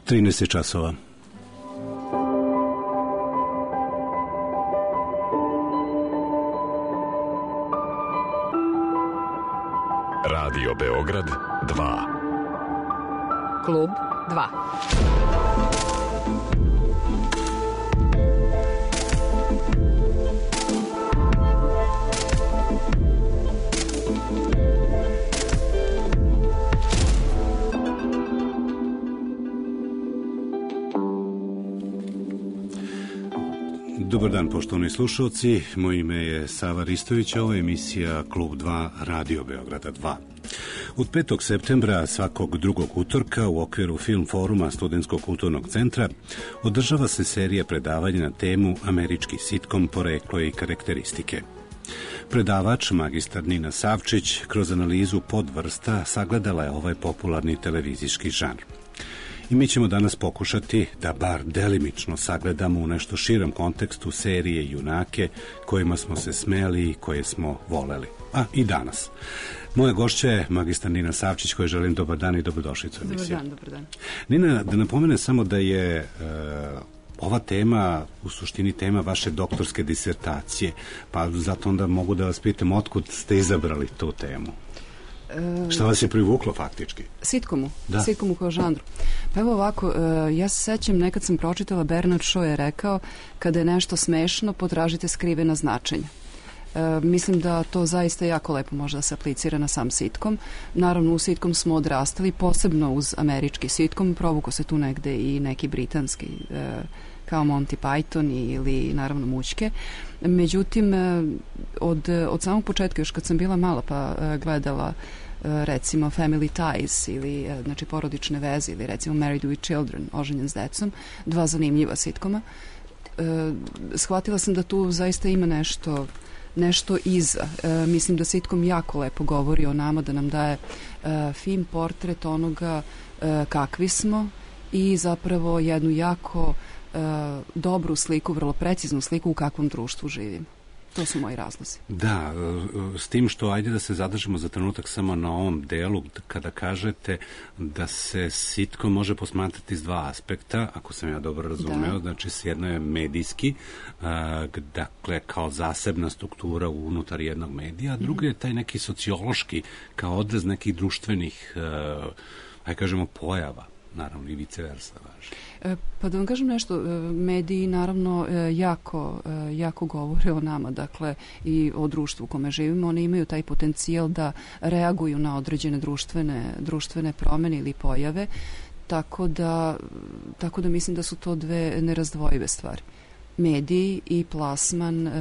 13 časova. Radio Beograd 2. Klub 2. Dobar dan, poštovani slušalci. Moje ime je Sava Ristović, ovo je emisija Klub 2 Radio Beograda 2. Od 5. septembra svakog drugog utorka u okviru Film foruma Studentskog kulturnog centra održava se serija predavanja na temu Američki sitkom, poreklo i karakteristike. Predavač, magistar Nina Savčić, kroz analizu podvrsta sagledala je ovaj popularni televizijski žanr. I mi ćemo danas pokušati da bar delimično sagledamo u nešto širem kontekstu serije i junake kojima smo se smeli i koje smo voleli. A i danas. Moja gošća je magistar Nina Savčić, kojoj želim dobar dan i dobrodošlicu u emisiju. Dobar dan. Nina, da napomene samo da je ova tema u suštini tema vaše doktorske disertacije, pa zato onda mogu da vas pitam otkud ste izabrali tu temu. Šta vas je privuklo faktički? Sitkomu. Da. Sitkomu kao žanru. Pa evo ovako, ja se sećam, nekad sam pročitala, Bernard Shaw je rekao, kada je nešto smešno, potražite skrivena značenja. Mislim da to zaista jako lepo može da se aplicira na sam sitkom. Naravno, u sitkom smo odrastali, posebno uz američki sitkom, provuko se tu negde i neki britanski, kao Monty Python ili naravno Mućke. Međutim, od samog početka, još kad sam bila mala pa gledala recimo Family Ties ili znači porodične veze ili recimo Married with Children, oženjen s decom, dva zanimljiva sitkoma, shvatila sam da tu zaista ima nešto iza. Mislim da sitkom jako lepo govori o nama, da nam daje fin portret onoga kakvi smo i zapravo jednu jako dobru sliku, vrlo preciznu sliku u kakvom društvu živimo. To su moji razlozi. Da, s tim što ajde da se zadržimo za trenutak samo na ovom delu kada kažete da se sitkom može posmatrati iz dva aspekta, ako sam ja dobro razumeo, da. Znači s jedno je medijski, dakle kao zasebna struktura unutar jednog medija, a drugo je taj neki sociološki kao odraz nekih društvenih, ajde kažemo, pojava. Naravno i vice versa važi. Pa da vam kažem nešto, mediji naravno jako govore o nama, dakle i o društvu u kome živimo. Oni imaju taj potencijal da reaguju na određene društvene promene ili pojave, tako da mislim da su to dve nerazdvojive stvari. Mediji i plasman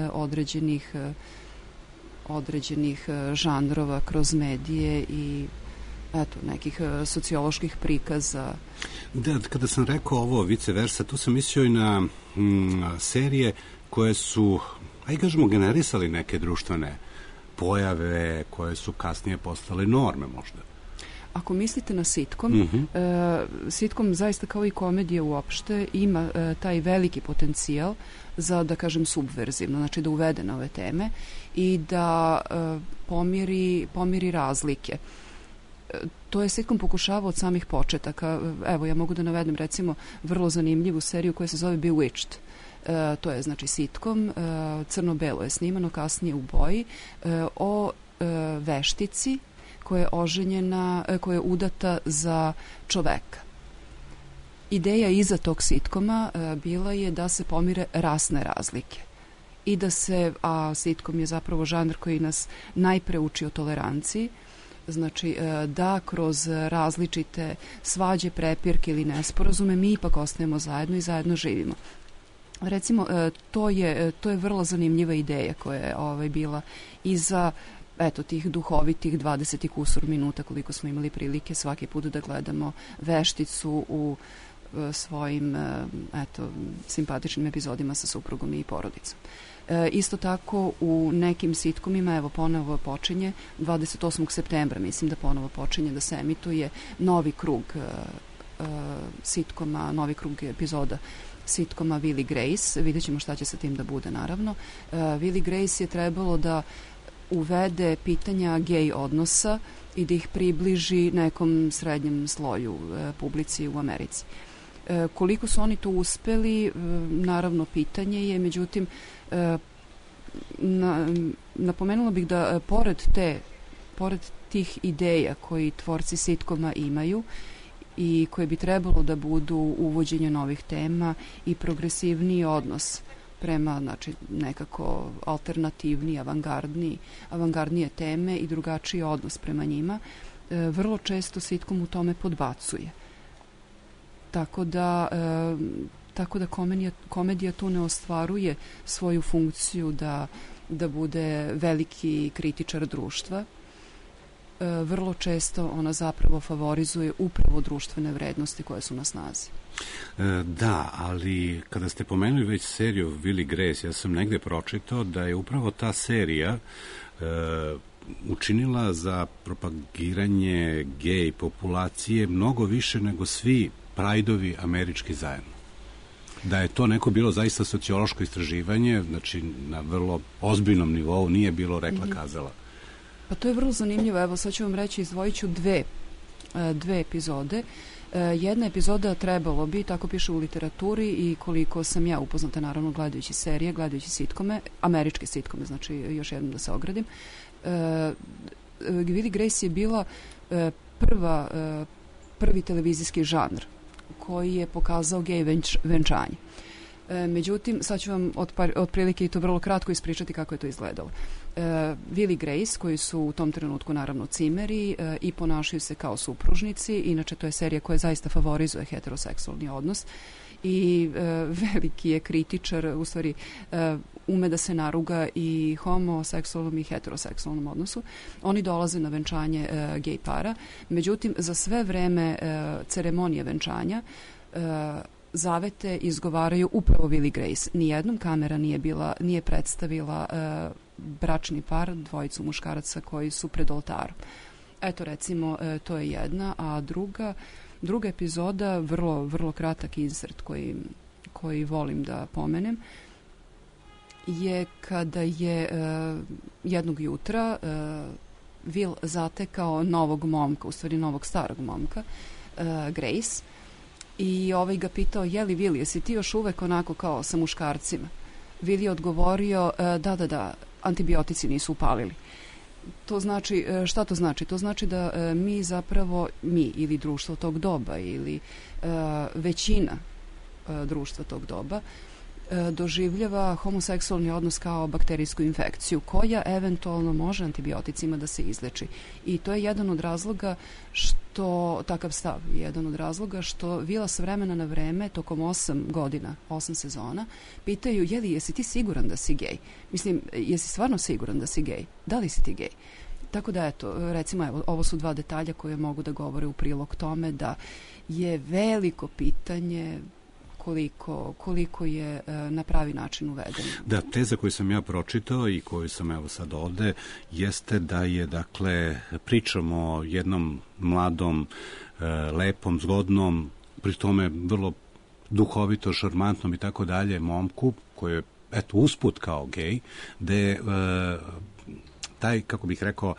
određenih žanrova kroz medije i nekih socioloških prikaza. Da, kada sam rekao ovo vice versa, tu sam mislio i na serije koje su, ajde kažemo, generisali neke društvene pojave koje su kasnije postale norme možda. Ako mislite na sitkom, sitkom zaista kao i komedija uopšte ima taj veliki potencijal za, da kažem, subverzivno, znači da uvede nove teme i da pomiri razlike. To je sitkom pokušavao od samih početaka. Evo, ja mogu da navedem recimo vrlo zanimljivu seriju koja se zove Bewitched. To je znači sitkom, crno-belo je snimano, kasnije u boji, o veštici koja je oženjena, koja je udata za čoveka. Ideja iza tog sitkoma bila je da se pomire rasne razlike i da se, a sitkom je zapravo žanr koji nas najpre uči o toleranciji, znači da kroz različite svađe, prepirke ili nesporazume mi ipak ostajemo zajedno i zajedno živimo. Recimo, to je vrlo zanimljiva ideja koja je bila iza tih duhovitih 20 kusur minuta koliko smo imali prilike svaki put da gledamo vešticu u svojim simpatičnim epizodima sa suprugom i porodicom. Isto tako u nekim sitkomima, evo ponovo počinje 28. septembra, mislim da ponovo počinje da se emituje novi krug sitkoma, novi krug epizoda sitkoma Will i Grace. Vidjet ćemo šta će sa tim da bude, naravno. Will i Grace je trebalo da uvede pitanja gej odnosa i da ih približi nekom srednjem sloju publici u Americi. Koliko su oni to uspeli, naravno pitanje je, međutim, napomenula bih da pored tih ideja koji tvorci sitkoma imaju i koje bi trebalo da budu uvođenje novih tema i progresivniji odnos prema, znači, nekako alternativniji, avangardnije teme i drugačiji odnos prema njima, vrlo često sitkom u tome podbacuje. Tako da komedija tu ne ostvaruje svoju funkciju da bude veliki kritičar društva. Vrlo često ona zapravo favorizuje upravo društvene vrednosti koje su na snazi. Da, ali kada ste pomenuli već seriju Will i Grace, ja sam negde pročitao da je upravo ta serija učinila za propagiranje gej populacije mnogo više nego svi Prideovi američki zajedno. Da je to neko bilo zaista sociološko istraživanje, znači na vrlo ozbiljnom nivou, nije bilo rekla kazala. Pa to je vrlo zanimljivo. Evo, sad ću vam reći, izdvojit ću dve epizode. Jedna epizoda trebalo bi, tako piše u literaturi i koliko sam ja upoznata, naravno, gledajući serije, gledajući sitkome, američke sitkome, znači još jednom da se ogradim. Will i Grace je bila prvi televizijski žanr koji je pokazao gej venčanje. Međutim, sad ću vam otprilike i to vrlo kratko ispričati kako je to izgledalo. Will i Grace, koji su u tom trenutku naravno cimeri i ponašaju se kao supružnici, inače to je serija koja zaista favorizuje heteroseksualni odnos i veliki je kritičar, u stvari ume da se naruga i homoseksualnom i heteroseksualnom odnosu. Oni dolaze na venčanje gej para, međutim za sve vreme ceremonije venčanja zavete izgovaraju upravo Will i Grace. Nijednom kamera nije predstavila bračni par, dvojicu muškaraca koji su pred oltarom. Eto, recimo, to je jedna, a druga epizoda, vrlo, vrlo kratak insert koji volim da pomenem, je kada je jednog jutra Will zatekao novog momka, u stvari novog starog momka, Grace, i ovaj ga pitao, je li Will, jesi ti još uvek onako kao sa muškarcima? Will je odgovorio, da, antibiotici nisu upalili. To znači, šta to znači? To znači da mi ili društvo tog doba ili većina društva tog doba doživljava homoseksualni odnos kao bakterijsku infekciju koja eventualno može antibioticima da se izleči. I to je jedan od razloga takav stav je jedan od razloga što Vila s vremena na vreme tokom 8 sezona pitaju, jesi ti siguran da si gej? Mislim, jesi stvarno siguran da si gej? Da li si ti gej? Tako da, eto, recimo, ovo su dva detalja koje mogu da govore u prilog tome da je veliko pitanje koliko je na pravi način uvedeno. Da, teza koju sam ja pročitao i koju sam evo sad ovde jeste da je, dakle, pričamo o jednom mladom, lepom, zgodnom, pri tome vrlo duhovito, šarmantnom i tako dalje momku koji je, eto, usput kao gej, gde taj, kako bih rekao,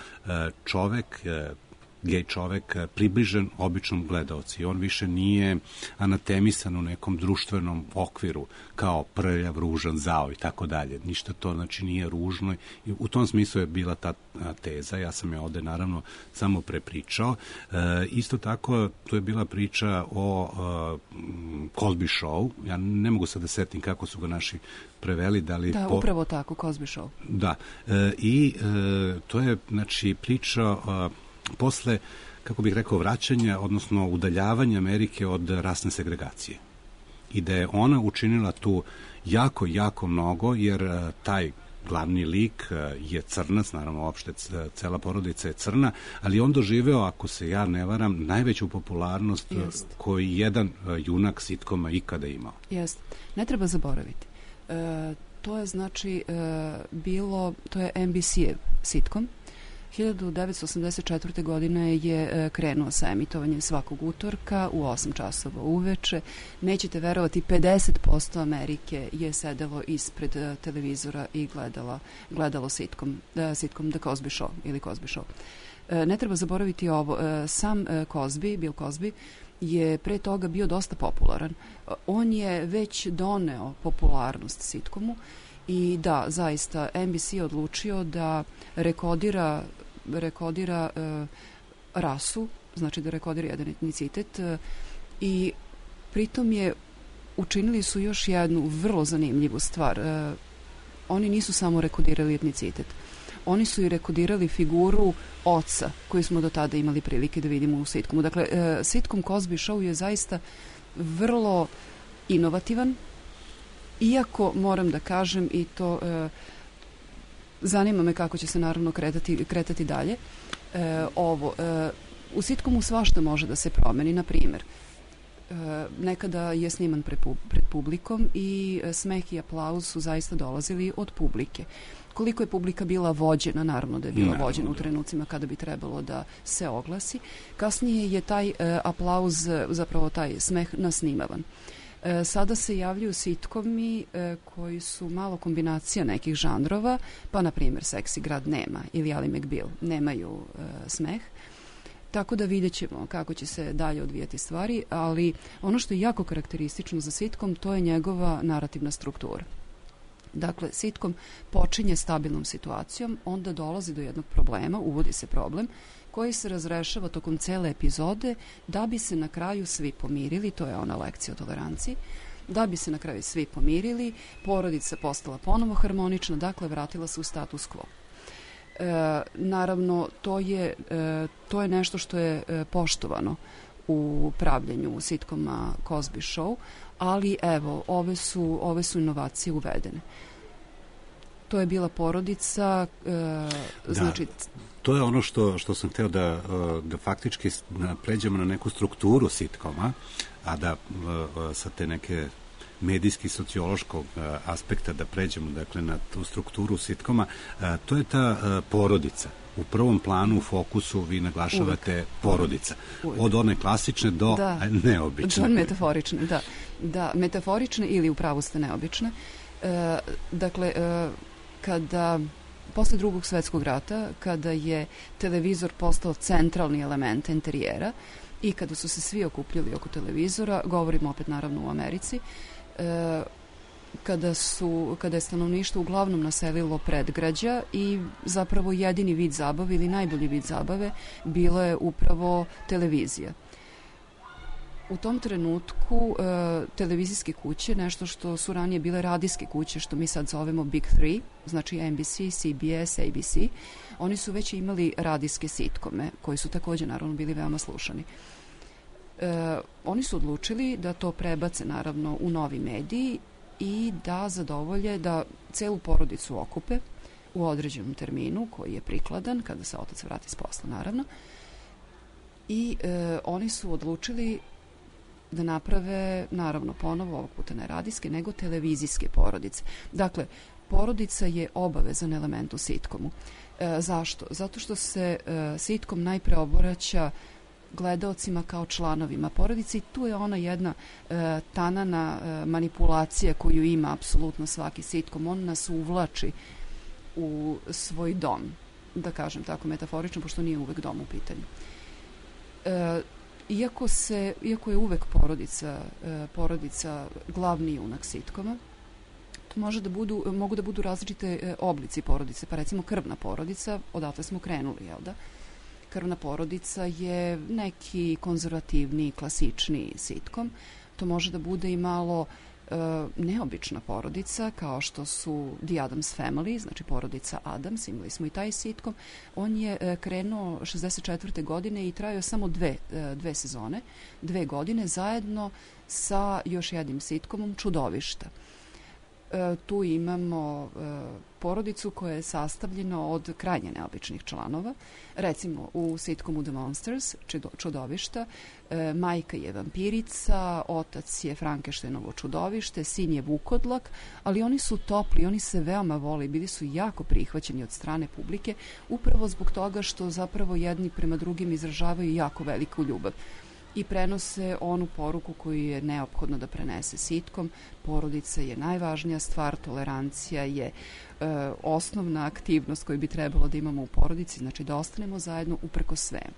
gej čovek približen običnom gledaoci. On više nije anatemisan u nekom društvenom okviru kao prljav, ružan, zao i tako dalje. Ništa to, znači, nije ružno. I u tom smislu je bila ta teza. Ja sam je ovde naravno samo prepričao. Isto tako, to je bila priča o Cosby Show. Ja ne mogu sad da setim kako su ga naši preveli. Upravo tako, Cosby Show. Da. I to je, znači, priča posle, kako bih rekao, vraćanja, odnosno udaljavanja Amerike od rasne segregacije. I da je ona učinila tu jako, jako mnogo, jer taj glavni lik je crnac, naravno, uopšte cela porodica je crna, ali on doživeo, ako se ja ne varam, najveću popularnost koji jedan junak sitkoma ikada imao. Jeste. Ne treba zaboraviti. To je, znači, to je NBC-ev sitkom. 1984. godine je krenuo sa emitovanjem svakog utorka u 8 časova uveče. Nećete verovati, 50% Amerike je sedelo ispred televizora i gledalo sitkom The Cosby Show ili Cosby Show. Ne treba zaboraviti ovo, sam Bill Cosby je pre toga bio dosta popularan. On je već doneo popularnost sitcomu i da, zaista, NBC je odlučio da rekodira rasu, znači da rekodira jedan etnicitet i pritom učinili su još jednu vrlo zanimljivu stvar. Oni nisu samo rekodirali etnicitet, oni su i rekodirali figuru oca koju smo do tada imali prilike da vidimo u sitcomu. Dakle, sitcom Cosby Show je zaista vrlo inovativan, iako moram da kažem i to zanima me kako će se naravno kretati dalje. U sitcomu svašta može da se promeni, na primjer. Nekada je sniman pred publikom i smeh i aplauz su zaista dolazili od publike. Koliko je publika bila vođena, naravno da je bila vođena u trenucima kada bi trebalo da se oglasi. Kasnije je taj aplauz, zapravo taj smeh nasnimavan. Sada se javljaju sitcomi koji su malo kombinacija nekih žanrova, pa na primjer Seksi grad nema ili Ali McBeal nemaju smeh. Tako da vidjet ćemo kako će se dalje odvijati stvari, ali ono što je jako karakteristično za sitcom, to je njegova narativna struktura. Dakle, sitcom počinje stabilnom situacijom, onda dolazi do jednog problema, uvodi se problem, koji se razrešava tokom cele epizode, da bi se na kraju svi pomirili, to je ona lekcija o toleranciji, da bi se na kraju svi pomirili, porodica postala ponovo harmonična, dakle, vratila se u status quo. Naravno, to je nešto što je poštovano u pravljenju sitkoma Cosby Show, ali evo, ove su inovacije uvedene. To je bila porodica, znači... To je ono što sam hteo da faktički pređemo na neku strukturu sitkoma, a da sa te neke medijski sociološkog aspekta da pređemo, dakle, na tu strukturu sitkoma, to je ta porodica. U prvom planu, u fokusu vi naglašavate porodica. Od one klasične do neobične. Do metaforične, da. Da, metaforične ili upravo ste neobične. Dakle, posle Drugog svetskog rata, kada je televizor postao centralni element interijera i kada su se svi okupljali oko televizora, govorimo opet naravno u Americi, kada je stanovništvo uglavnom naselilo predgrađa i zapravo jedini vid zabave ili najbolji vid zabave bila je upravo televizija. U tom trenutku televizijske kuće, nešto što su ranije bile radijske kuće, što mi sad zovemo Big Three, znači NBC, CBS, ABC, oni su već imali radijske sitkome, koji su također naravno bili veoma slušani. Oni su odlučili da to prebace naravno u novi mediji i da zadovolje, da celu porodicu okupe u određenom terminu koji je prikladan, kada se otac vrati s posla naravno, i oni su odlučili da naprave, naravno ponovo, ovog puta ne radijske, nego televizijske porodice. Dakle, porodica je obavezan element u sitcomu. Zašto? Zato što se sitcom najpre obraća gledaocima kao članovima porodice i tu je ona jedna tanana manipulacija koju ima apsolutno svaki sitcom. On nas uvlači u svoj dom, da kažem tako metaforično, pošto nije uvek dom u pitanju. Iako je uvek porodica glavni junak sitkoma, to mogu da budu različite oblici porodice, pa recimo krvna porodica, odatle smo krenuli, jel da? Krvna porodica je neki konzervativni, klasični sitkom. To može da bude i malo neobična porodica, kao što su The Addams Family, znači porodica Adams, imali smo i taj sitkom. On je krenuo 64. godine i trajao samo dve sezone, 2 godine, zajedno sa još jednim sitkomom Čudovišta. Tu imamo porodicu koja je sastavljena od krajnje neobičnih članova. Recimo u sitcomu The Monsters, Čudovišta, majka je vampirica, otac je Frankensteinovo čudovište, sin je vukodlak, ali oni su topli, oni se veoma vole, bili su jako prihvaćeni od strane publike, upravo zbog toga što zapravo jedni prema drugim izražavaju jako veliku ljubav i prenose onu poruku koju je neophodno da prenese sitkom. Porodica je najvažnija stvar, tolerancija je osnovna aktivnost koju bi trebalo da imamo u porodici, znači da ostanemo zajedno uprkos svemu.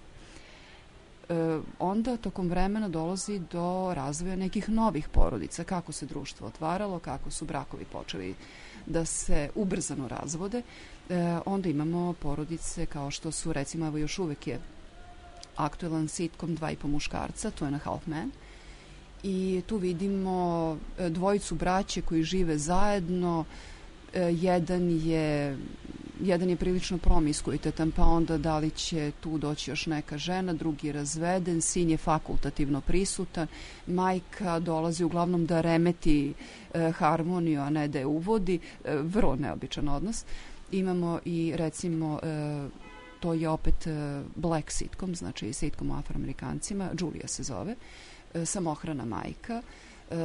onda tokom vremena dolazi do razvoja nekih novih porodica, kako se društvo otvaralo, kako su brakovi počeli da se ubrzano razvode. Onda imamo porodice kao što su, recimo, evo još uvek je aktuelan sitkom 2,5 muškarca, to je na Half Men, i tu vidimo dvojicu braće koji žive zajedno. Jedan je prilično promiskuitetan, pa onda da li će tu doći još neka žena, drugi je razveden, sin je fakultativno prisutan, majka dolazi uglavnom da remeti harmoniju, a ne da je uvodi, vrlo neobičan odnos. Imamo i, recimo, to je opet black sitcom, znači sitcom o Afroamerikancima, Julia se zove, samohrana majka.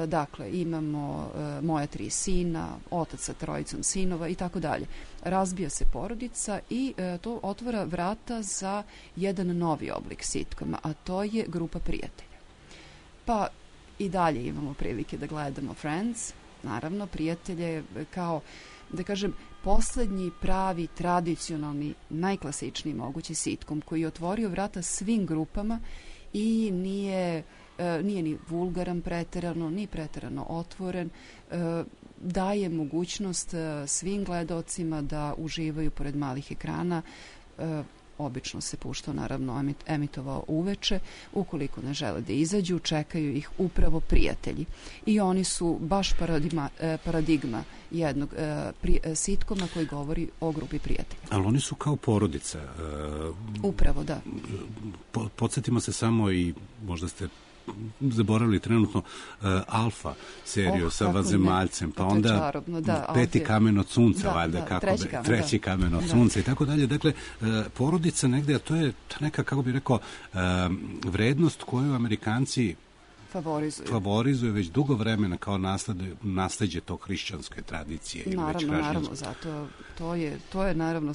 Dakle, imamo moja 3 sina, otac sa 3 sinova i tako dalje. Razbija se porodica i to otvara vrata za jedan novi oblik sitkoma, a to je grupa prijatelja. Pa i dalje imamo prilike da gledamo Friends, naravno, prijatelje kao, da kažem, poslednji pravi, tradicionalni, najklasičniji mogući sitkom koji je otvorio vrata svim grupama i nije ni vulgaran preterano, ni preterano otvoren, daje mogućnost svim gledaocima da uživaju pored malih ekrana. Obično se puštao, naravno, emitovao uveče. Ukoliko ne žele da izađu, čekaju ih upravo prijatelji. I oni su baš paradigma jednog sitkoma koji govori o grupi prijatelja. Ali oni su kao porodica. Upravo, da. Podsjetimo se samo, i možda ste zaboravili trenutno, Alfa seriju sa Vanzemaljcem, pa onda čarobno, da, Peti kamen od sunca, valjda, treći da. kamen od sunca i tako dalje. Dakle, porodica negde, a to je neka, kako bih rekao, vrednost koju Amerikanci favorizuju već dugo vremena kao nasleđe tog hrišćanske tradicije. Naravno, zato to je naravno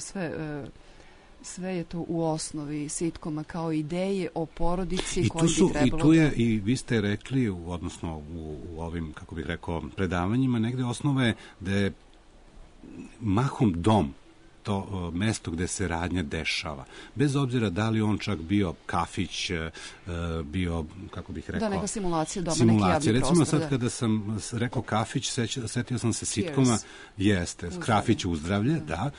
sve je to u osnovi sitkoma kao ideje o porodici koji bi trebalo... I tu je, i vi ste rekli, odnosno u ovim, kako bih rekao, predavanjima, negde osnova je da je mahom dom to mesto gde se radnja dešava. Bez obzira da li on čak bio kafić, bio, kako bih rekao... Da, neka simulacija doma, neki javni prostor. Recimo sad kada sam rekao kafić, setio sam se sitkoma, jeste, Krafić uzdravlje, da,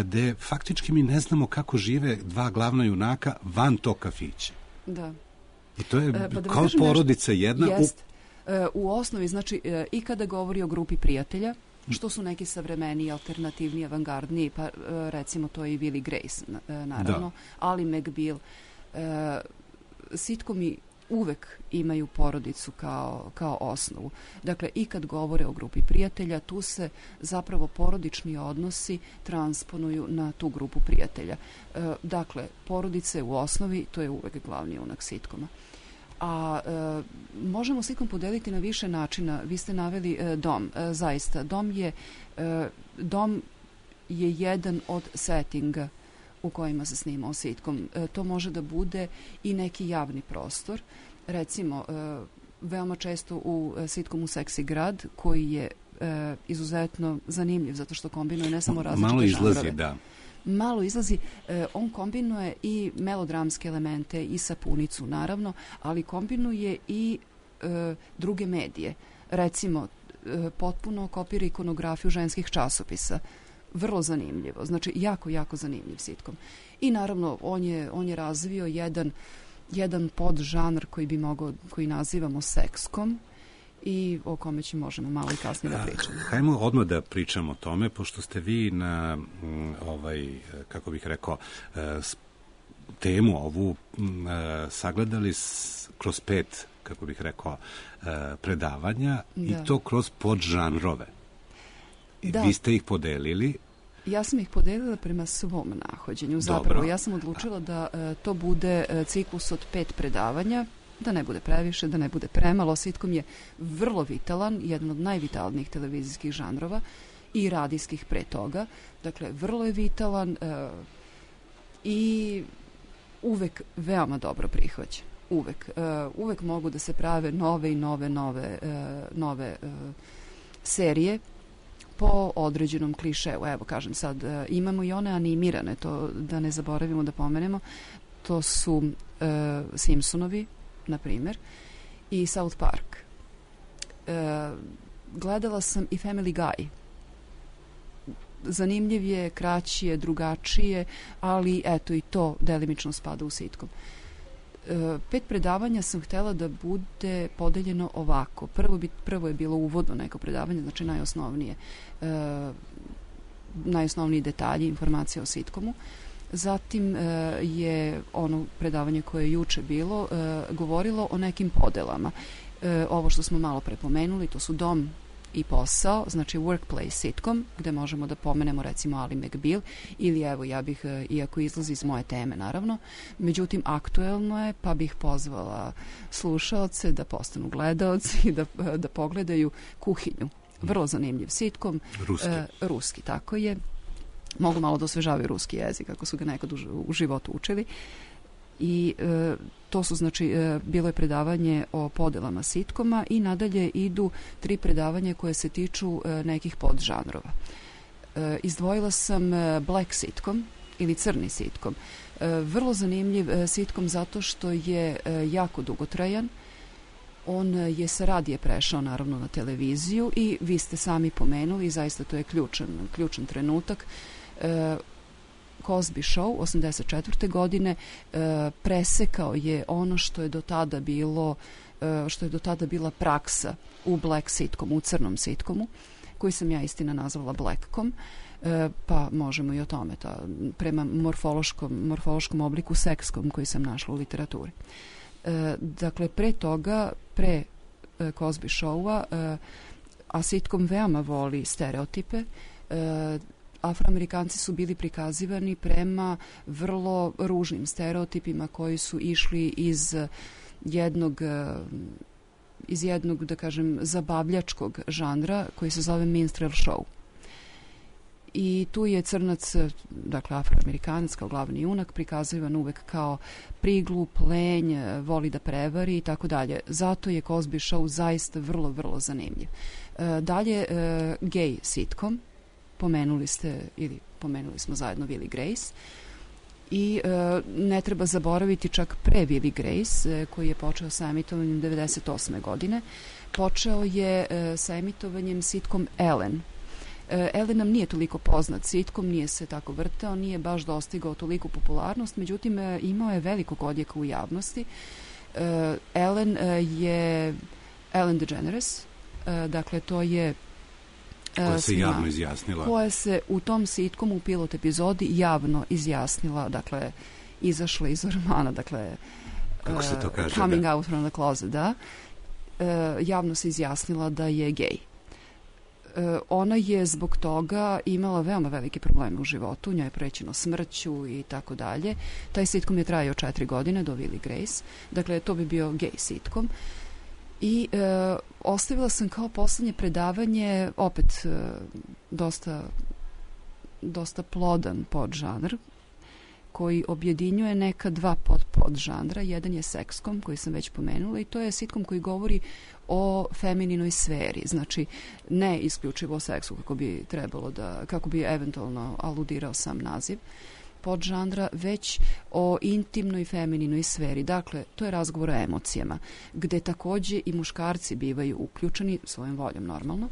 gde faktički mi ne znamo kako žive dva glavna junaka van tog kafića. Da. I to je kao porodica jedna... Jest. U osnovi, znači, i kada govori o grupi prijatelja, što su neki savremeniji, alternativni, avangardni, pa recimo to je i Will i Grace, naravno, Ali McBeal. Sitkomi uvek imaju porodicu kao osnovu. Dakle, i kad govore o grupi prijatelja, tu se zapravo porodični odnosi transponuju na tu grupu prijatelja. Dakle, porodice u osnovi, to je uvek glavni junak sitkoma. A možemo sitkom podeliti na više načina. Vi ste naveli dom, zaista. Dom je jedan od settinga u kojima se snimao sitkom. To može da bude i neki javni prostor. Recimo, veoma često u sitkomu Seksi grad, koji je izuzetno zanimljiv, zato što kombinuje ne samo različite žanrove. Malo izlazi, da. Malo izlazi, on kombinuje i melodramske elemente i sapunicu, naravno, ali kombinuje i druge medije. Recimo, potpuno kopira ikonografiju ženskih časopisa. Vrlo zanimljivo, znači jako, jako zanimljiv sitkom. I naravno, on je razvio jedan podžanr koji nazivamo sekskom, i o kome možemo malo i kasnije da pričamo. Hajmo odmah da pričamo o tome, pošto ste vi na kako bih rekao, temu ovu sagledali kroz 5, kako bih rekao, predavanja, i to kroz podžanrove. Da. Vi ste ih podelili. Ja sam ih podelila prema svom nahođenju. Zapravo, ja sam odlučila da to bude ciklus od 5 predavanja, da ne bude previše, da ne bude premalo. Sitkom je vrlo vitalan, jedan od najvitalnijih televizijskih žanrova i radijskih pre toga. Dakle, vrlo je vitalan i uvek veoma dobro prihvaćen. Uvek mogu da se prave nove i nove serije po određenom klišeu. Evo, kažem sad, imamo i one animirane, to da ne zaboravimo da pomenemo. to su Simpsonovi, na primjer, i South Park. Gledala sam i Family Guy. Zanimljiv je, kraći je, drugačije, ali eto i to delimično spada u sitkom. 5 predavanja sam htjela da bude podeljeno ovako. Prvo je bilo uvodno neko predavanje, znači najosnovniji detalji, informacije o sitkomu. Zatim je ono predavanje koje je juče bilo govorilo o nekim podelama. Ovo što smo malo prepomenuli, to su dom i posao, znači workplace sitcom, gde možemo da pomenemo recimo Ali McBeal, ili evo ja bih, iako izlazi iz moje teme naravno, međutim aktuelno je, pa bih pozvala slušaoce da postanu gledaoci i da pogledaju Kuhinju. Vrlo zanimljiv sitcom. Ruski, tako je. Mogu malo da osvežavaju ruski jezik, ako su ga nekad u životu učili. I to su, znači, bilo je predavanje o podelama sitkoma i nadalje idu 3 predavanja koje se tiču nekih podžanrova. Izdvojila sam black sitcom ili crni sitcom. Vrlo zanimljiv sitcom zato što je jako dugotrajan. On je sa radija prešao naravno na televiziju i vi ste sami pomenuli, zaista to je ključan trenutak. Cosby Show 1984. godine presekao je ono što je do tada bila praksa u black sitcomu, u crnom sitcomu, koji sam ja istina nazvala blackcom, pa možemo i o tome, prema morfološkom obliku sekskom koji sam našla u literaturi. Dakle, pre Cosby Showa, a sitcom veoma voli stereotipe, Afroamerikanci su bili prikazivani prema vrlo ružnim stereotipima koji su išli iz jednog, da kažem, zabavljačkog žanra koji se zove minstrel show. I tu je crnac, dakle Afroamerikanac kao glavni junak, prikazivan uvek kao priglup, lenj, voli da prevari i tako dalje. Zato je Cosby Show zaista vrlo, vrlo zanimljiv. Dalje, gay sitcom. Pomenuli smo zajedno Will i Grace i ne treba zaboraviti čak pre Will i Grace, koji je počeo sa emitovanjem 1998. godine. Počeo je sa emitovanjem sitcom Ellen. Ellen nam nije toliko poznat sitcom, nije se tako vrteo, nije baš dostigao toliku popularnost, međutim imao je velikog odjeka u javnosti. Ellen je Ellen DeGeneres, dakle to je koja se javno izjasnila. Koja se u tom sitcomu u pilot epizodi javno izjasnila, dakle, izašla iz ormana, dakle, kako se to kaže, coming out from the closet, da. Javno se izjasnila da je gej. Ona je zbog toga imala veoma velike probleme u životu, njoj je prećeno smrću i tako dalje. Taj sitcom je trajao 4 godine do Will i Grace, dakle, to bi bio gej sitcom. I ostavila sam kao poslednje predavanje opet dosta plodan podžanr koji objedinjuje neka 2 podžanra. Jedan je sekskom, koji sam već pomenula, i to je sitcom koji govori o femininoj sferi, znači ne isključivo o seksu kako bi eventualno aludirao sam naziv podžanra, već o intimnoj femininoj sferi. Dakle, to je razgovor o emocijama, gde takođe i muškarci bivaju uključeni svojom voljom normalno,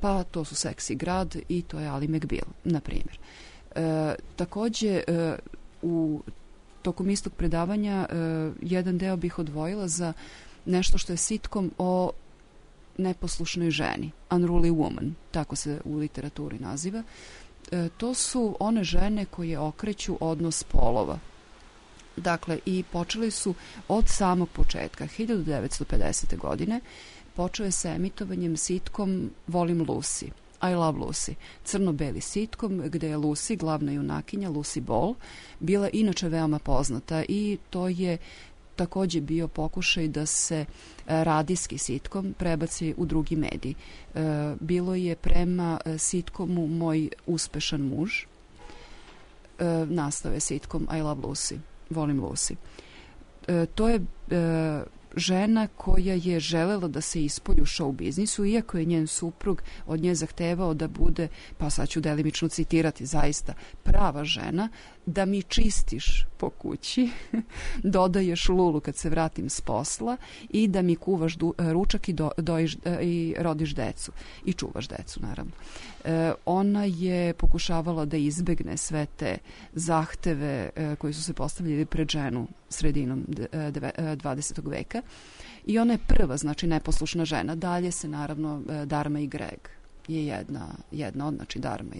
pa to su Seksi grad i to je Ali McBeal, na primjer. Takođe, tokom istog predavanja jedan deo bih odvojila za nešto što je sitcom o neposlušnoj ženi, unruly woman, tako se u literaturi naziva. To su one žene koje okreću odnos polova. Dakle, i počeli su od samog početka, 1950. godine, počeo je sa emitovanjem sitcom Volim Lucy, I Love Lucy, crno-beli sitcom gde je Lucy, glavna junakinja, Lucy Ball, bila inače veoma poznata i to je takođe bio pokušaj da se radijski sitcom prebaci u drugi medij. Bilo je prema sitcomu Moj uspešan muž, nastao je sitcom I Love Lucy, Volim Lucy. To je žena koja je želela da se ispolji u show biznisu, iako je njen suprug od nje zahtevao da bude, pa sad ću delimično citirati, zaista prava žena, da mi čistiš po kući, dodaješ lulu kad se vratim s posla i da mi kuvaš ručak i rodiš decu i čuvaš decu, naravno. Ona je pokušavala da izbegne sve te zahteve koji su se postavljali pred ženu sredinom 20. veka i ona je prva, znači neposlušna žena. Dalje se naravno Dharma i Greg je jedna od, znači Dharma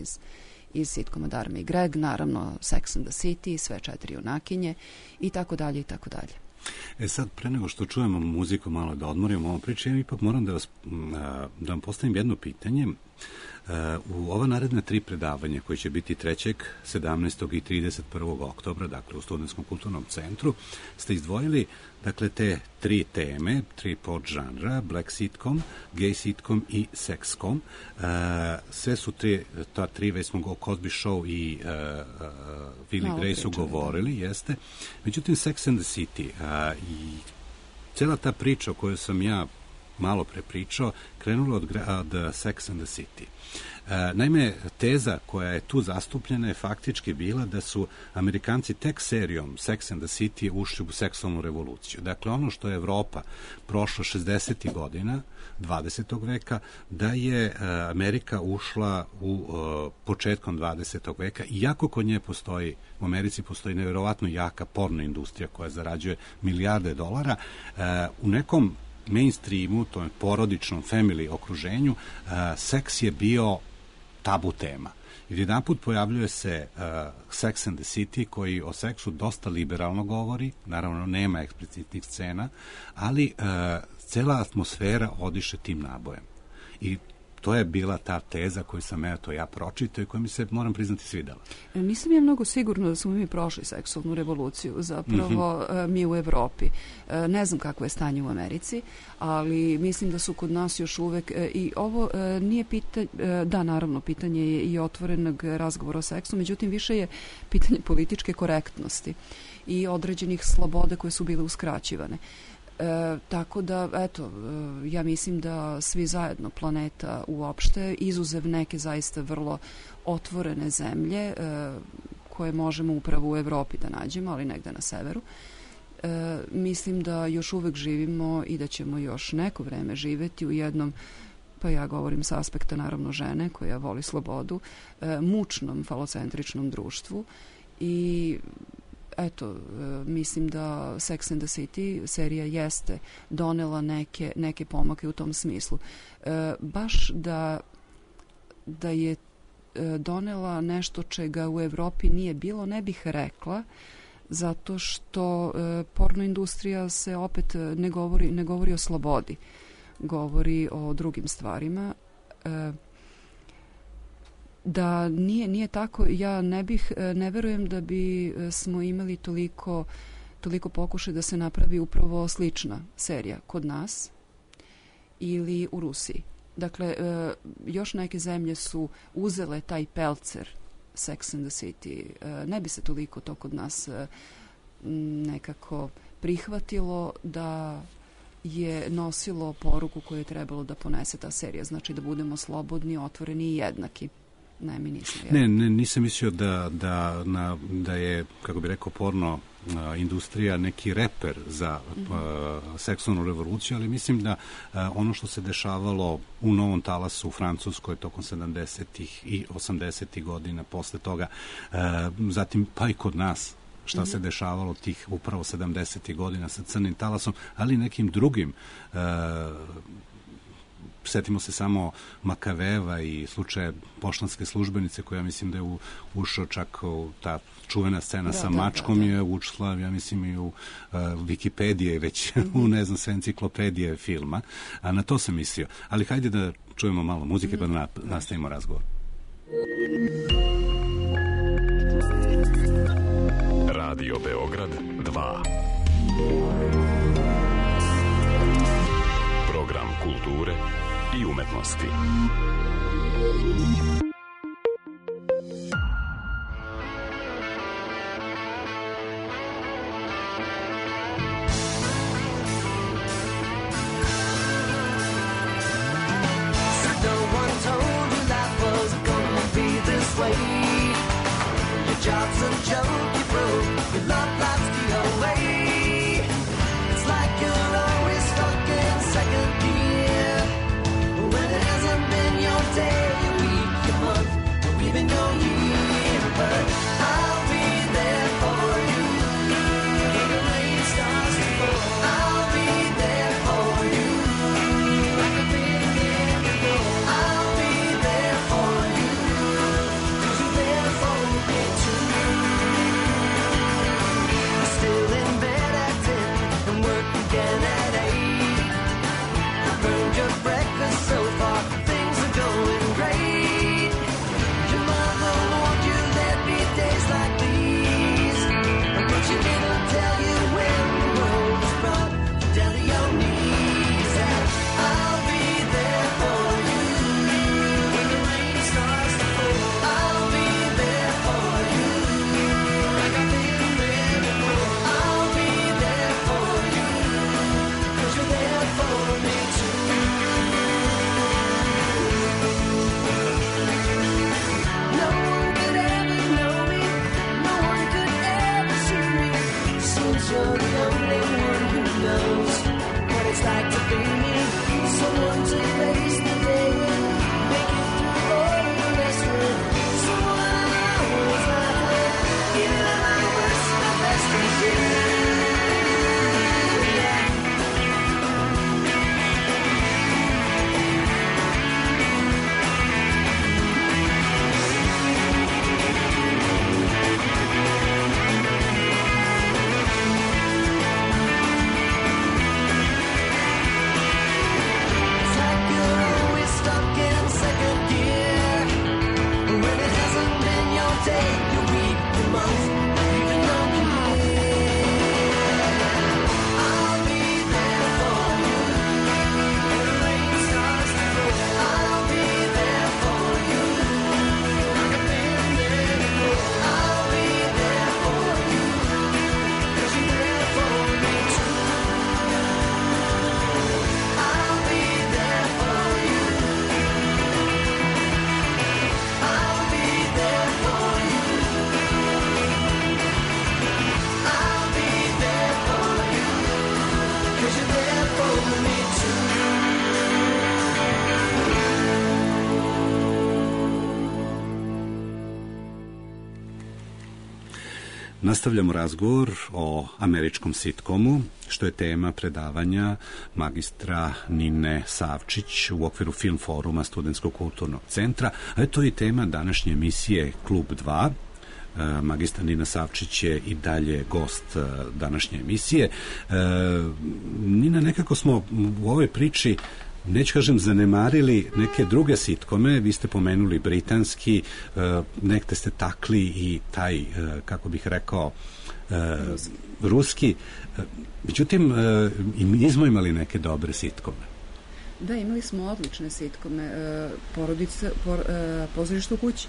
iz sitkoma Dharma i Greg, naravno Sex and the City, sve 4 junakinje i tako dalje i tako dalje. Sad, pre nego što čujemo muziku, malo da odmorimo ovu priču, ja ipak moram da vam postavim jedno pitanje. U ova naredne 3 predavanja koje će biti 3., 17. i 31. oktobra, dakle u Studentskom kulturnom centru, ste izdvojili dakle te 3 teme, 3 podžanra, black sitcom, gay sitcom i sexcom. Sve su ta 3, već smo o Cosby Show i Will i Grace su govorili, jeste. Međutim, Sex and the City i cela ta priča o kojoj sam ja malo pre pričao, krenula od Sex and the City. Naime, teza koja je tu zastupljena je faktički bila da su Amerikanci tek serijom Sex and the City ušli u seksualnu revoluciju. Dakle, ono što je Evropa prošla 60. godina 20. veka, da je Amerika ušla u početkom 20. veka, iako kod nje postoji, u Americi postoji nevjerovatno jaka porno industrija koja zarađuje milijarde dolara, u nekom mainstreamu, to je porodičnom family okruženju, seks je bio tabu tema. I jedanput pojavljuje se Sex and the City koji o seksu dosta liberalno govori, naravno nema eksplicitnih scena, ali cela atmosfera odiše tim nabojem. I to je bila ta teza koju sam ja pročitao i koja mi se, moram priznati, svidela. Nisam ja mnogo sigurno da smo mi prošli seksualnu revoluciju, zapravo mi u Evropi. Ne znam kakvo je stanje u Americi, ali mislim da su kod nas još uvek, i ovo nije pitanje, da, naravno, pitanje je i otvorenog razgovora o seksu, međutim, više je pitanje političke korektnosti i određenih sloboda koje su bile uskraćivane. Tako da, eto, ja mislim da svi zajedno, planeta uopšte, izuzev neke zaista vrlo otvorene zemlje koje možemo upravo u Evropi da nađemo, ali negde na severu, mislim da još uvek živimo i da ćemo još neko vreme živeti u jednom, pa ja govorim sa aspekta naravno žene koja voli slobodu, mučnom falocentričnom društvu i eto, mislim da Sex and the City serija jeste donela neke pomake u tom smislu. Baš da je donela nešto čega u Evropi nije bilo, ne bih rekla, zato što porno industrija se opet ne govori o slobodi, govori o drugim stvarima. Da nije tako, ja ne verujem da bi smo imali toliko pokušaj da se napravi upravo slična serija kod nas ili u Rusiji. Dakle, još neke zemlje su uzele taj pelcer Sex and the City. Ne bi se toliko to kod nas nekako prihvatilo da je nosilo poruku koju je trebalo da ponese ta serija. Znači da budemo slobodni, otvoreni i jednaki. Ne, mi nisam. Nisam mislio da je, kako bi rekao, porno industrija neki reper za seksualnu revoluciju, ali mislim da ono što se dešavalo u Novom Talasu u Francuskoj tokom 70. i 80. godina, posle toga, zatim pa i kod nas, šta se dešavalo tih upravo 70. godina sa Crnim talasom, ali i nekim drugim. Setimo se samo Makaveva i slučaje poštanske službenice koja mislim da je ušao čak u ta čuvena scena sa mačkom je ušla, ja mislim, i u Wikipedije, već u, ne znam, sve enciklopedije filma. A na to sam mislio. Ali hajde da čujemo malo muzike pa da nastavimo razgovor. Radio Beograd 2. Program kulture i umetnosti. job's a joke, you broke, your love life's the away. It's like you're always stuck in second gear, when it hasn't been your day, your week, your month, or even your year. But I'll be there for you when the rain starts to fall. I'll be there for you like I've been there before. I'll be there for you 'cause you're there for me too. I'm still in bed at 10 and work again at 8. I burned your breakfast so far, things are going great. Your mother warned you there'd be days like these, but she didn't tell you when the world was brought down to your knees. And I'll be there for you when the rain starts to fall. I'll be there for you like I've been there before. I'll be there for you 'cause you're there for me too. No one could ever know me, no one could ever see me, since you're the only one who knows what it's like to be me. Someone to face the day and make it through all the rest with. Someone I always laugh with, even at my worst, my best is you. Yeah. It's like you're always stuck in second gear, when it hasn't been your day, your week, your month, even your year. I'll be there for you when the rain starts to fall. I'll be there for you like I've been there before. I'll be there for you 'cause you're there for me too. I'll be there for you. I'll be there for you. I'll be there for you 'cause you're there for me too. Nastavljamo razgovor o američkom sitkomu, što je tema predavanja magistra Nine Savčić u okviru Film foruma Studentskog kulturnog centra, a to je i tema današnje emisije Klub 2. Magistra Nina Savčić je i dalje gost današnje emisije. Nina, nekako smo u ovoj priči, neću kažem zanemarili neke druge sitkome, vi ste pomenuli britanski, nekde ste takli i taj, kako bih rekao, ruski. Međutim, i mi smo imali neke dobre sitkome. Da, imali smo odlične sitkome. Pozorište u kući.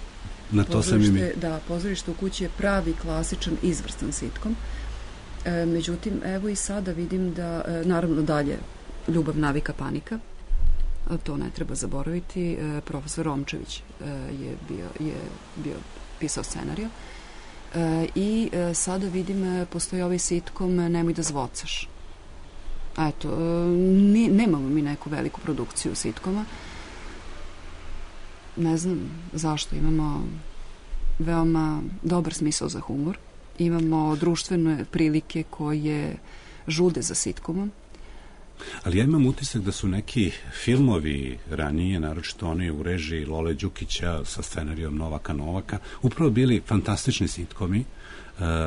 Na to sam i mi. Da, Pozorište u kući je pravi, klasičan, izvrstan sitkom. Međutim, evo i sada vidim da, naravno dalje, Ljubav, navika, panika, to ne treba zaboraviti. Profesor Romčević je bio pisao scenariju. I sada vidim, postoji ovaj sitkom Nemoj da zvocaš. Eto, nemamo mi neku veliku produkciju sitkoma. Ne znam zašto. Imamo veoma dobar smisao za humor. Imamo društvene prilike koje žude za sitkomom. Ali ja imam utisak da su neki filmovi ranije, naročito oni u režiji Lole Đukića sa scenarijom Novaka Novaka, upravo bili fantastični sitkomi.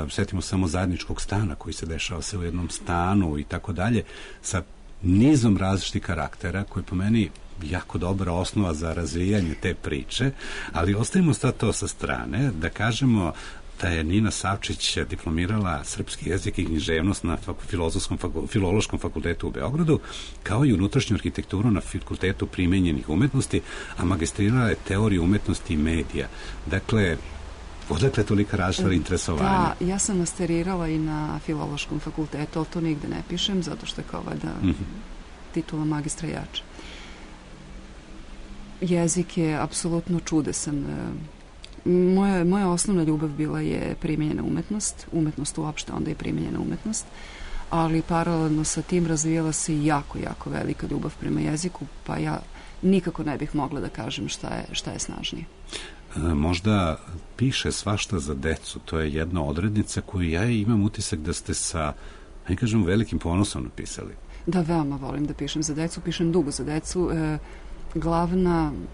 Sjetimo samo Zajedničkog stana koji se dešava se u jednom stanu i tako dalje, sa nizom različitih karaktera koji po meni jako dobra osnova za razvijanje te priče, ali ostavimo sad to sa strane, da kažemo da je Nina Savčić diplomirala srpski jezik i književnost na Filološkom fakultetu u Beogradu, kao i unutrašnju arhitekturu na Fakultetu primenjenih umetnosti, a magistrirala je teoriju umetnosti i medija. Dakle, odakle je tolika različita interesovanja? Da, ja sam masterirala i na Filološkom fakultetu, ali to nigde ne pišem, zato što je kao da titula magistra jača. Jezik je apsolutno čudesan Moja osnovna ljubav bila je primijenjena umetnost uopšte, onda je primijenjena umetnost, ali paralelno sa tim razvijala se jako, jako velika ljubav prema jeziku, pa ja nikako ne bih mogla da kažem šta je snažnije. Možda piše svašta za decu, to je jedna odrednica koju ja imam utisak da ste sa, ne kažem, velikim ponosom napisali. Da, veoma volim da pišem za decu, pišem dugo za decu.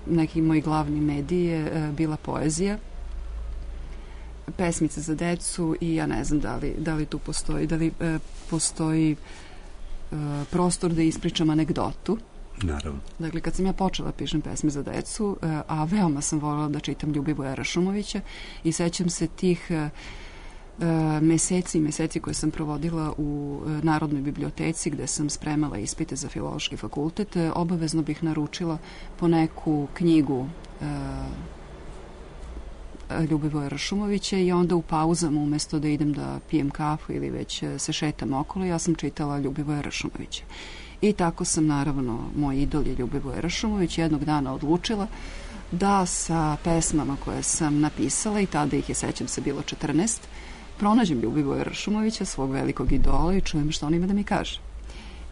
Neki moji glavni mediji je bila poezija, pesmice za decu i ja ne znam da li tu postoji prostor da ispričam anegdotu. Naravno. Dakle, kad sam ja počela pišem pesme za decu, a veoma sam voljela da čitam Ljubivoja Rašumovića i sećam se tih meseci koje sam provodila u Narodnoj biblioteci gde sam spremala ispite za Filološki fakultet, obavezno bih naručila po neku knjigu Ljubivoja Rašumovića i onda u pauzama umesto da idem da pijem kafu ili već se šetam okolo, ja sam čitala Ljubivoja Rašumovića. I tako sam, naravno, moj idol je Ljubivoje Rašumović, jednog dana odlučila da sa pesmama koje sam napisala, i tada ih je, sećam se, bilo 14, pronađem Ljubivoja Rašumovića, svog velikog idola, i čujem što on ima da mi kaže.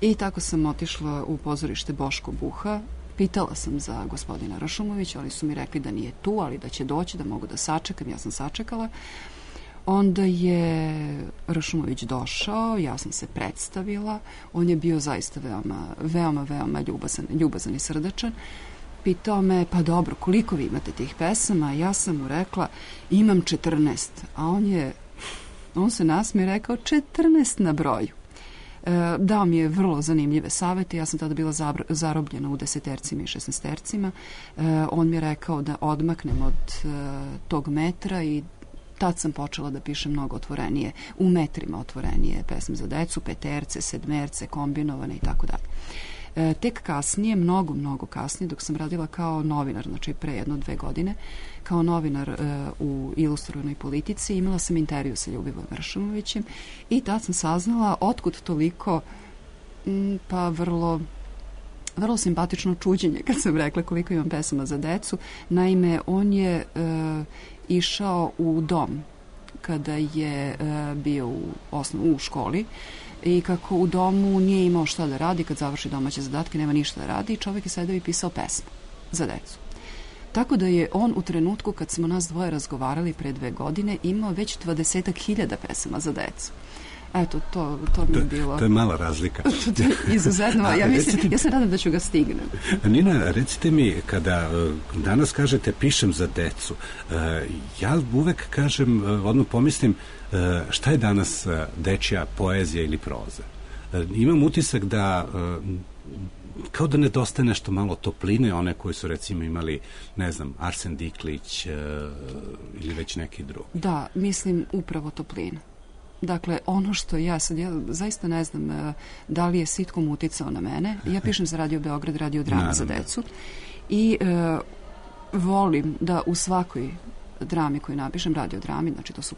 I tako sam otišla u pozorište Boško Buha, pitala sam za gospodina Rašumovića, oni su mi rekli da nije tu, ali da će doći, da mogu da sačekam, ja sam sačekala. Onda je Rašumović došao, ja sam se predstavila, on je bio zaista veoma ljubazan i srdačan. Pitao me, pa dobro, koliko vi imate tih pesama? Ja sam mu rekla, imam 14, a on se nasmije i rekao 14 na broju. Dao mi je vrlo zanimljive savete, ja sam tada bila zarobljena u 10-tercima i 16-tercima. On mi je rekao da odmaknem od tog metra i tad sam počela da pišem mnogo otvorenije, u metrima otvorenije pesme za decu, peterce, sedmerce, kombinovane i tako dalje. Tek kasnije, mnogo kasnije, dok sam radila kao novinar, znači pre 1-2 godine, kao novinar u Ilustrovanoj politici, imala sam intervju sa Ljubivojem Rašumovićem i tad sam saznala otkud toliko, pa vrlo simpatično čuđenje kad sam rekla koliko imam pesama za decu. Naime, on je išao u dom kada je bio u školi i kako u domu nije imao šta da radi, kad završi domaće zadatke nema ništa da radi, čovjek je sedeo i pisao pesmu za decu. Tako da je on u trenutku kad smo nas dvoje razgovarali pre 2 godine imao već 20.000 pesama za decu. Eto, to mi je bilo... To je mala razlika. To je izuzetno. Ja se nadam da ću ga stignem. Nina, recite mi, kada danas kažete pišem za decu, ja uvek kažem, odmah pomislim, šta je danas dečja poezija ili proza? Imam utisak da kao da nedostaje nešto malo topline, one koji su recimo imali, ne znam, Arsen Diklić ili već neki drugi. Da, mislim upravo toplina. Dakle, ono što ja zaista ne znam da li je sitkom uticao na mene. Ja pišem za Radio Beograd, Radio Drama za decu i volim da u svakoj drami koju napišem, radio drami, znači to su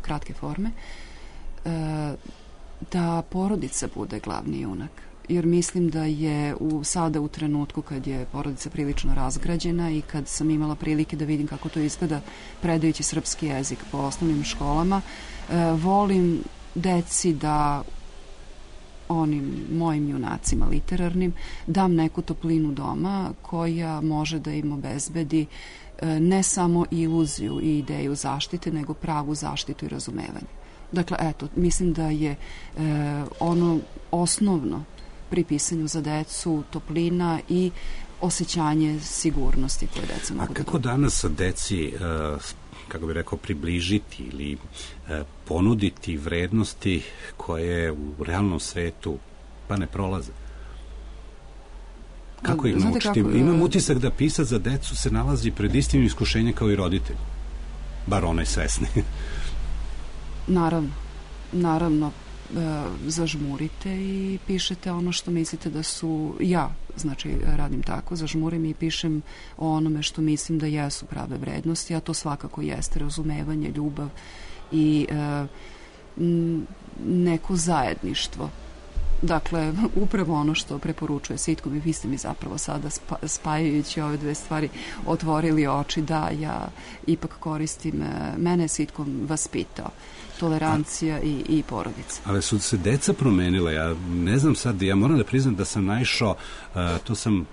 kratke forme, da porodica bude glavni junak. Jer mislim da je sada u trenutku kad je porodica prilično razgrađena i kad sam imala prilike da vidim kako to izgleda predajući srpski jezik po osnovnim školama, volim deci da onim mojim junacima literarnim dam neku toplinu doma koja može da im obezbedi ne samo iluziju i ideju zaštite, nego pravu zaštitu i razumevanje. Dakle, eto, mislim da je ono osnovno pri pisanju za decu toplina i osjećanje sigurnosti koje deca mogu da dobiju. A kako danas deci, kako bih rekao, približiti ili ponuditi vrednosti koje u realnom svetu pa ne prolaze? Kako ih naučiti? Imam utisak da pisac za decu se nalazi pred istim iskušenjem kao i roditelj. Bar onaj svesni. Naravno, zažmurite i pišete ono što mislite da su, znači radim tako, zažmurim i pišem o onome što mislim da jesu prave vrednosti, a to svakako jeste razumevanje, ljubav i neko zajedništvo Dakle, upravo ono što preporučuje sitkom i vi ste mi zapravo sada spajajući ove dve stvari otvorili oči. Da, ja ipak koristim, mene je sitkom vaspitao. Tolerancija i porodica. Ali su se deca promenila, ja ne znam sad, ja moram da priznam da sam naišao, to sam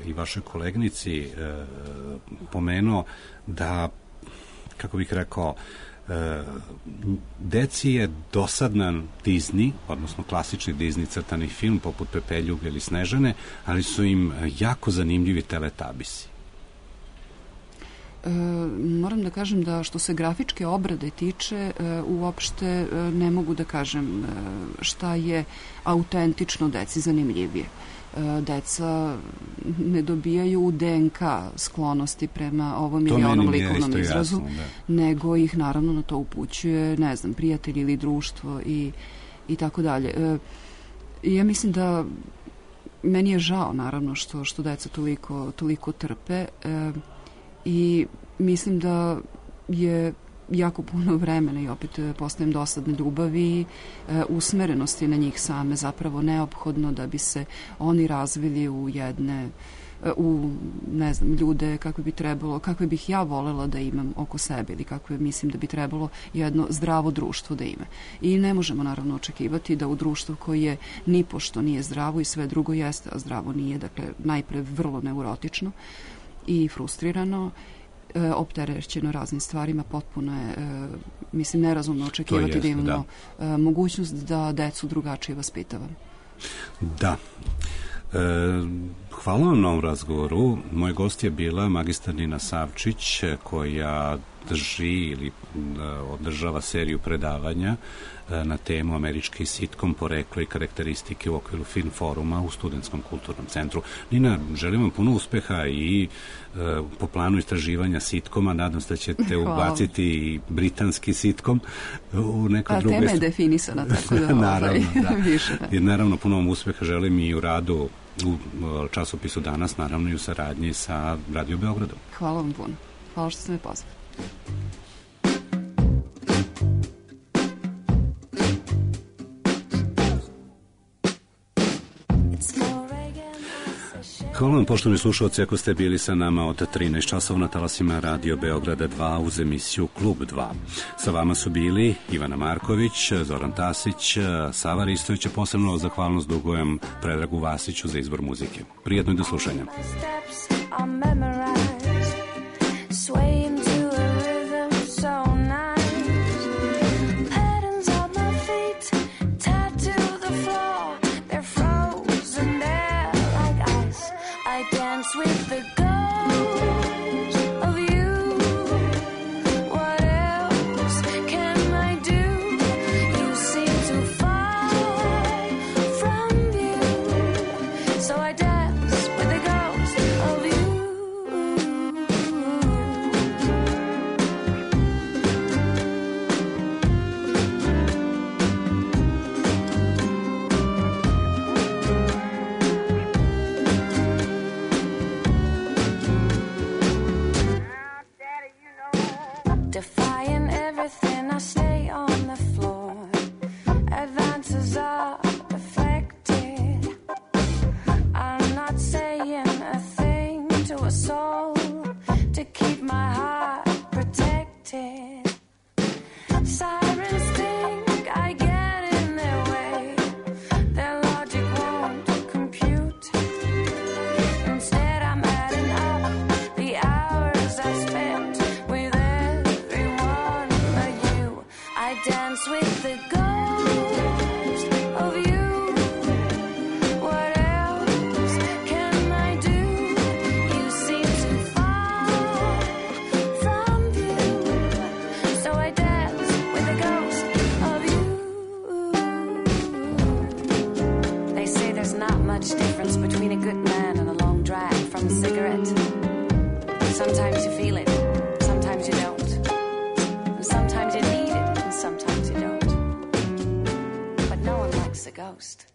i vašoj kolegnici pomenuo da, kako bih rekao, deci je dosadan Disney, odnosno klasični Disney crtani film poput Pepeljuge ili Snežane, ali su im jako zanimljivi Teletabisi. Moram da kažem da što se grafičke obrade tiče, uopšte ne mogu da kažem šta je autentično deci zanimljivije. Deca ne dobijaju u DNK sklonosti prema ovom ili onom likovnom izrazu, nego ih naravno na to upućuje, ne znam, prijatelj ili društvo i tako dalje. Ja mislim da meni je žao naravno što deca toliko trpe i mislim da je jako puno vremena i opet postajem dosadne ljubavi, usmerenosti na njih same zapravo neophodno da bi se oni razvili u ne znam, ljude kakve bi trebalo, kakve bih ja volela da imam oko sebe ili kakve mislim da bi trebalo jedno zdravo društvo da ima. I ne možemo naravno očekivati da u društvu koje nipošto nije zdravo i sve drugo jeste, a zdravo nije, dakle najpre vrlo neurotično i frustrirano, opterećeno raznim stvarima, potpuno je, mislim, nerazumno očekivati da imamo mogućnost da decu drugačije vaspitavamo. Da. Hvala vam na ovom razgovoru. Moj gost je bila magistar Nina Savčić, koja drži ili održava seriju predavanja na temu američki sitkom, poreklo i karakteristike u okviru Film foruma u Studentskom kulturnom centru. Nina, želim vam puno uspeha i po planu istraživanja sitkoma. Nadam se da ćete ubaciti i britanski sitkom u neko drugo. Tema je definisana, tako da naravno, više. I naravno puno vam uspeha želim i u radu u časopisu Danas, naravno i u saradnji sa Radio Beogradom. Hvala vam puno. Hvala što ste me pozvali. Hvala vam, poštovani slušalci, ako ste bili sa nama od 13 časova na talasima Radio Beograda 2 uz emisiju Klub 2. Sa vama su bili Ivana Marković, Zoran Tasić, Sava Ristović, posebno zahvalnost dugujem Predragu Vasiću za izbor muzike. Prijetno i do slušanja. With the ghost of you, what else can I do? You seem to fall from view, so I dance with the ghost of you. Defying everything, I stay on the floor. Advances are deflected. I'm not saying a thing to a soul to keep my heart protected. Sirens think I get in their way. Their logic won't compute. Instead, I'm adding up the hours I spent with I dance with the ghost of you. What else can I do? You seem to fall from view, so I dance with the ghost of you. They say there's not much difference between a good man and a long drag from a cigarette. Sometimes you feel it, sometimes you don't. Sometimes you need it, and sometimes you don't. But no one likes a ghost.